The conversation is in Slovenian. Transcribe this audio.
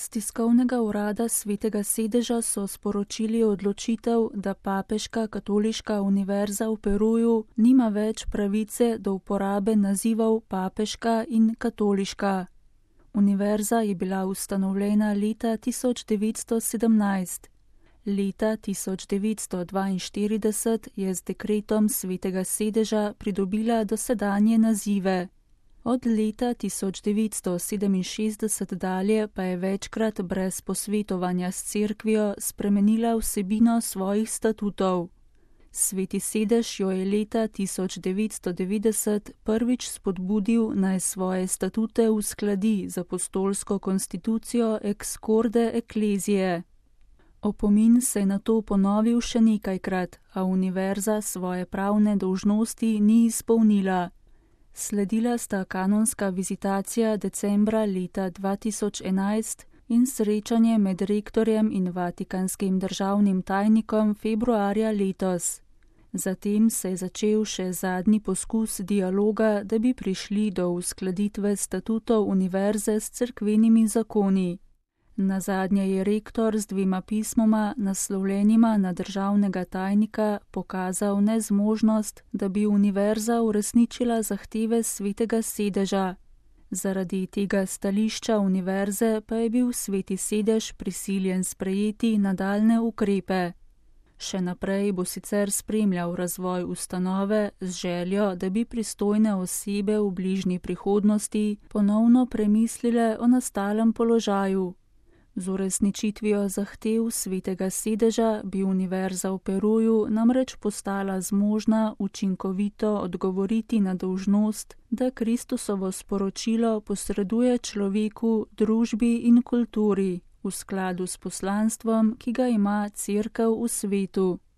S tiskovnega urada Svetega sedeža so sporočili odločitev, da Papeška katoliška univerza v Peruju nima več pravice do uporabe nazivov papeška in katoliška. Univerza je bila ustanovljena leta 1917. Leta 1942 je z dekretom Svetega sedeža pridobila dosedanje nazive. Od leta 1967 dalje pa je večkrat brez posvetovanja s cerkvijo spremenila vsebino svojih statutov. Sveti sedež jo je leta 1990 prvič spodbudil, naj svoje statute uskladi z apostolsko konstitucijo Ex Corde Ecclesiae. Opomin se je nato ponovil še nekajkrat, a univerza svoje pravne dolžnosti ni izpolnila. Sledila sta kanonska vizitacija decembra leta 2011 in srečanje med rektorjem in vatikanskim državnim tajnikom februarja letos. Zatem se je začel še zadnji poskus dialoga, da bi prišli do uskladitve statutov univerze s cerkvenimi zakoni. Nazadnje je rektor z 2 pismoma, naslovljenima na državnega tajnika, pokazal nezmožnost, da bi univerza uresničila zahteve Svetega sedeža. Zaradi tega stališča univerze pa je bil Sveti sedež prisiljen sprejeti nadaljnje ukrepe. Še naprej bo sicer spremljal razvoj ustanove z željo, da bi pristojne osebe v bližnji prihodnosti ponovno premislile o nastalem položaju. Z uresničitvijo zahtev Svetega sedeža bi univerza v Peruju namreč postala zmožna učinkovito odgovoriti na dolžnost, da Kristusovo sporočilo posreduje človeku, družbi in kulturi v skladu s poslanstvom, ki ga ima Cerkev v svetu.